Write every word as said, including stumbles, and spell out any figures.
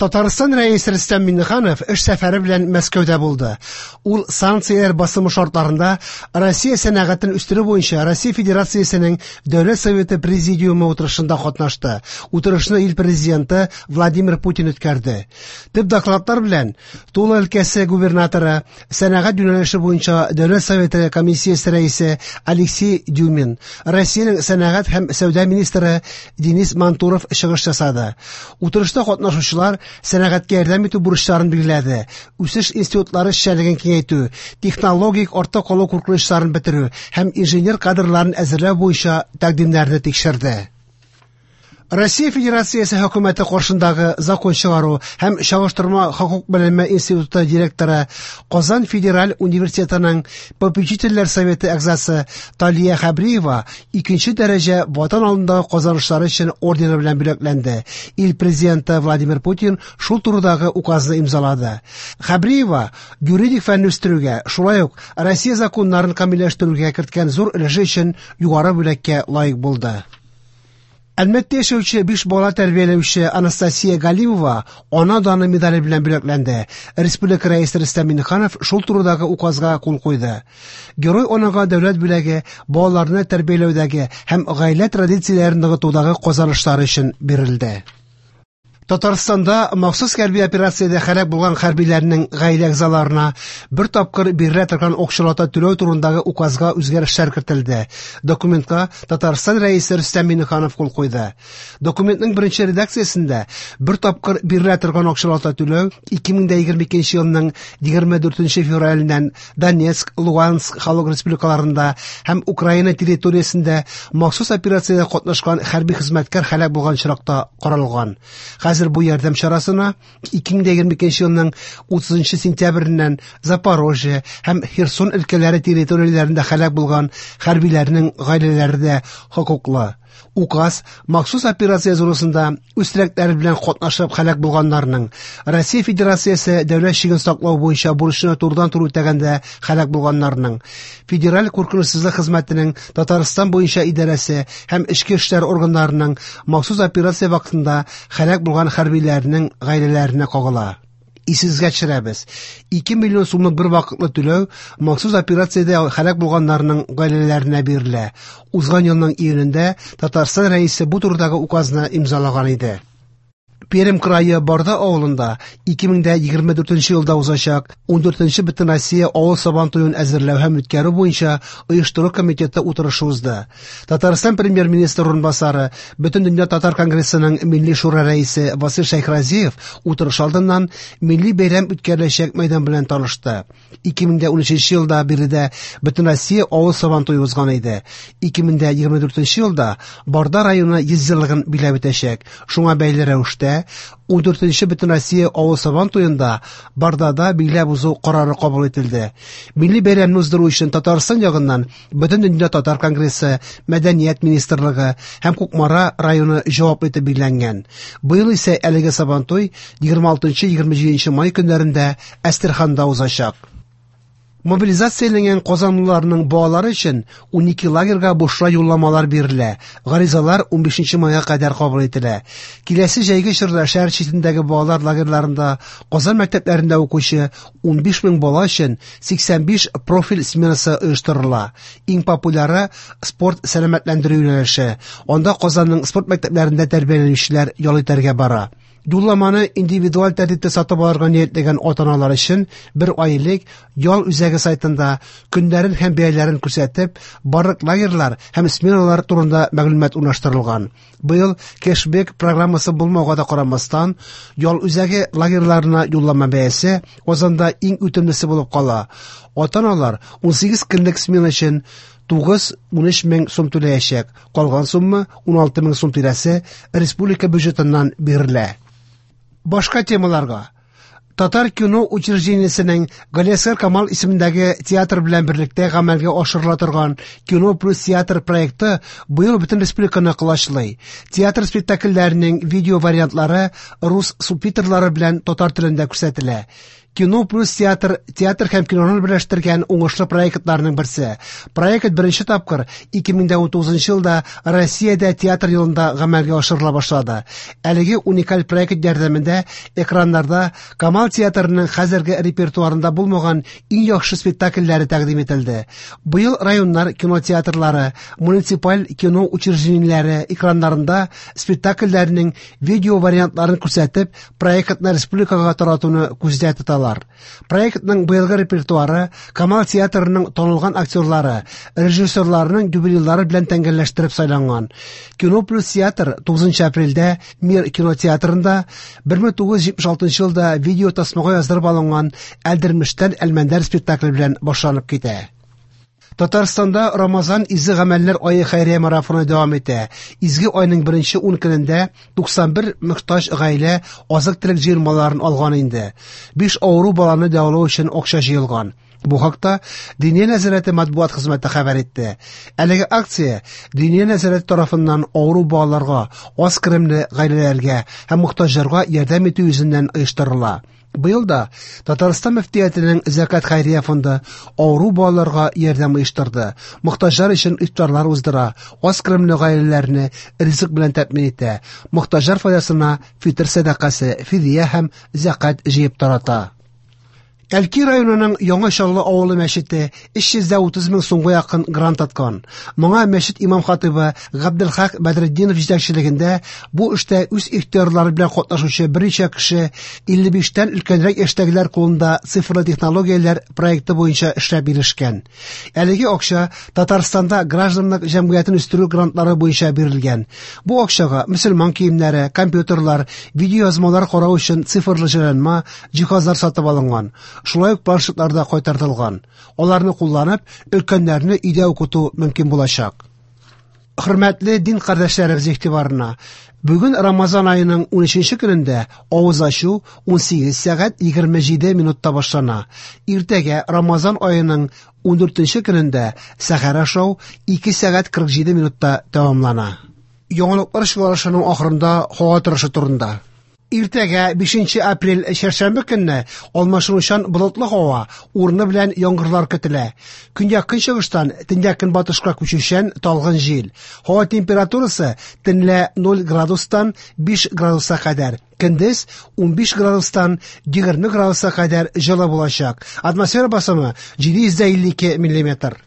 Татарстан Рәисе Рөстәм Миңнеханов эш сәфәре белән Мәскәүдә булды. Ул санкцияләр басымы шартларында Россия сәнәгатен үстерү буенча Россия Федерациясенең Дәүләт Советы Президиумы утырышында катнашты. Утырышны ил президенты Владимир Путин үткәрде. Төп докладлар белән Тула өлкәсе губернаторы, сәнәгать юнәлеше буенча Дәүләт Советы комиссиясе рәисе Алексей Дюмин, Россиянең сәнәгать һәм сәүдә министры Денис Мантуров чыгыш ясады. Утырышта катнашучылар сәнәгатькә ярдәм итү бурычларын билгеләде, үсеш институтлары эшчәнлеген киңәйтү, технологик артта калу куркынычларын бетерү һәм инженер кадрларын әзерләү буенча тәкъдимнәрне тикшерде. Россия Федерациясе хөкүмәте каршындагы закон чыгару һәм чагыштырма хокук белеме институты директоры, Казан федераль университетының попечительләр советы әгъзасы Талия Хәбриева икенче дәрәҗә Ватан алдындагы казанышлары өчен ордены белән бүләкләнде. Ил президенты Владимир Путин шул турыдагы указны имзалады. Хәбриева юридик фәнне үстерүгә, шулай ук Россия законнарын камилләштерүгә керткән зур өлеше өчен югары бүләккә лаек булды. Әлмәттә яшәүче биш бала тәрбияләүче Анастасия Галимова Ана даны медале белән бүләкләнде. Республика Рәисе Рөстәм Миңнеханов шул турыдагы указга кул куйды. Герой анага дәүләт бүләге балаларны тәрбияләүдәге һәм гаилә традицияләрен ныгытудагы казанышлары өчен бирелде. Татарстанда махсус хәрби операциядә һәлак булган хәрбиләрнең гаилә әгъзаларына бер тапкыр бирелә торган акчалата түләү турындагы указга үзгәрешләр кертелде. Документка Татарстан Рәисе Рөстәм Миңнеханов кул куйды. Документның беренче редакциясендә бер тапкыр бирелә торган акчалата түләү ике мең егерме икенче елның егерме дүртенче февраленнән Донецк, Луганск халык республикаларында һәм Украина территориясендә махсус операциядә катнашкан хәрби хезмәткәр һәлак булган очракта каралган. Хәзер бу ярдәм чарасына ике мең егерме икенче елның утызынчы сентябреннән Запорожье һәм Херсон өлкәләре территорияләрендә һәлак булган хәрбиләрнең гаиләләре дә хокуклы. Указ махсус операция зонасында үз теләкләре белән катнашып һәлак булганнарның, Россия Федерациясе дәүләт чиген саклау буенча бурычны турыдан-туры үтәгәндә һәлак булганнарның, Федераль куркынычсызлык хезмәтенең Татарстан буенча идарәсе һәм эчке эшләр органнарының махсус операция вакытында һәлак булган хәрбиләрнең гаиләләренә кагыла. Исегезгә төшерәбез. ике миллион сумлык бер вакытлы түләү махсус операциядә һәлак булганнарның гаиләләренә бирелә. Узган елның июнендә Татарстан Рәисе бу турыдагы указны имзалаган иде. Пермь крае Барда авылында ике мең егерме дүртенче елда узачак ундүртенче Бөтенроссия авыл сабан туен әзерләү һәм үткәрү буенча оештыру комитеты утырышы узды. Татарстан премьер-министры урынбасары, Бөтендөнья татар конгрессының Милли шура рәисе Васил Шәйхразиев утырыш алдыннан милли бәйрәм үткәреләчәк мәйдан белән танышты. ике мең унөченче елда биредә Бөтенроссия авыл сабан туе узган иде. ике мең егерме дүртенче елда Барда районы йөз еллыгын биләп үтәчәк. Шуңа бәйле рәвештә ундүртенче Бөтенроссия авыл сабан туенда Бардада биләп узу карары кабул ителде. Милли бәйрәмне уздыру өчен Татарстан ягыннан Бөтендөнья татар конгрессы, Мәдәният министрлыгы һәм Кукмара районы җаваплы итеп билгеләнгән. Быел исә әлеге сабантуй егерме алтынчы егерме җиденче май көннәрендә Әстерханда узачак. Мобилизацияләнгән казанлыларның балалары өчен унике лагерьга бушлай юлламалар бирелә. Гаризалар унбишенче майга кадәр кабул ителә. Киләсе җәйге чорда шәһәр читендәге балалар лагерьларында Казан мәктәпләрендә укучы унбиш мең бала өчен сиксән биш профиль сменасы оештырыла. Иң популяры спорт сәламәтләндерү юнәлеше. Анда Казанның спорт мәктәпләрендә тәрбияләнүчеләр ял итәргә бара. Юлламаны индивидуаль тәртиптә сатып алырга ниятләгән ата-аналар өчен бер ай элек ял үзәге сайтында көннәрен һәм бәяләрен күрсәтеп, барлык лагерьлар һәм сменалар турында мәгълүмат урнаштырылган. Быел кэшбэк программасы булмауга да карамастан, ял үзәге лагерьларына юллама бәясе Казанда иң үтемлесе булып кала. Ата-аналар унсигез көнлек смена өчен тугыз унөч мең сум түләячәк. Калган сумма уналты мең сум тирәсе республика бюджетыннан бирелә. Башка темаларга. Татар кино учреждениесенең Галиәсгар Камал исемендәге театр белән берлектә гамәлгә ашырыла торган Кино плюс театр проекты быел бөтен республиканы колачлый. Театр спектакльләренең видео вариантлары рус субтитрлары белән татар телендә күрсәтелә. Кино плюс театр театр һәм киноны берләштергән уңышлы проектларның берсе. Проект беренче тапкыр ике мең унтугызынчы елда Россиядә театр елында гамәлгә ашырыла башлады. Әлеге уникаль проект ярдәмендә экраннарда Камал театрының хәзерге репертуарында булмаган иң яхшы спектакльләре тәкъдим ителде. Быел районнар кинотеатрлары, муниципаль кино учреждениеләре экраннарында спектакльләрнең видео вариантларын күрсәтеп, проектны республикага таратуны күздә тоталар. Проектның быелгы репертуары Камал театрының танылган актерлары, режиссерларының юбилейлары белән тәңгәлләштереп сайланган. Кино плюс театр тугызынчы апрельдә Мир кинотеатрында бер мең тугыз йөз җитмеш алтынчы елда видео тасмага яздырып алынган Әлдермештән Әлмәндәр спектакле белән башланып китә. Татарстанда Рамазан изге гамәлләр ае хәйрия марафоны дәвам итә. Изге айның беренче ун көнендә туксан бер мохтаҗ гаилә азык-төлек җыелмаларын алган инде. Биш авыру баланы дәвалау өчен акча җыелган. Бу хакта Диния нәзарәте матбугат хезмәте хәбәр итте. Әлеге акция Диния нәзарәте тарафыннан авыру балаларга, аз керемле гаиләләргә һәм мохтаҗларга ярдәм итү йөзеннән оештырыла. Быел да Татарстан мөфтиятенең Зәкат хәйрия фонды авыру балаларга ярдәм оештырды. Мохтаҗлар өчен ифтарлар уздыра, аз керемле гаиләләрне ризык белән тәэмин итә. Мохтаҗлар файдасына фитр сәдакасы, фидия һәм зәкат җыеп тарата. Әлки районының Яңа Чаллы авылы мәчете өч йөз дә утыз мең сумга якын грант откан. Моңа мәчет имам хатибы Габделхак Бәдретдинов җитәкчелегендә бу эштә үз ихтыярлары белән катнашучы берничә кеше илле биштән өлкәнрәк яшьтәгеләр кулында цифрлы технологияләр проекты буенча эшләп ирешкән. Әлеге акча Татарстанда гражданлык җәмгыятен үстерү грантлары буенча бирелгән. Бу акчага мөселман киемнәре, компьютерлар, видеоязмалар карау өчен цифрлы җайланма, җиһазлар сатып алынган. Шулай ук планшетлар да кайтартылган. Аларны кулланып, өлкәннәрне өйдә укыту мөмкин булачак. Хөрмәтле дин кардәшләребез игътибарына, бүген Рамазан аеның унөченче көнендә авыз ачу унсигез сәгать егерме җиде минутта башлана. Иртәгә Рамазан аеның ундүртенче көнендә сәхәр ашау ике сәгать кырык җиде минутта тәмамлана. Яңалыклар чыгарышының ахырында һава торышы турында. Иртәгә бишенче апрель чәршәмбе көнне алмашынучан болытлы һава, урыны белән яңгырлар көтелә. Көньяк көнчыгыштан төньяк көнбатышка күчүчән талгын җил. Һава температурасы төнлә ноль градустан биш градуска кадәр, көндез унбиш градустан егерме градуска кадәр җылы булачак. Атмосфера басымы җиде йөз дә илле ике миллиметр.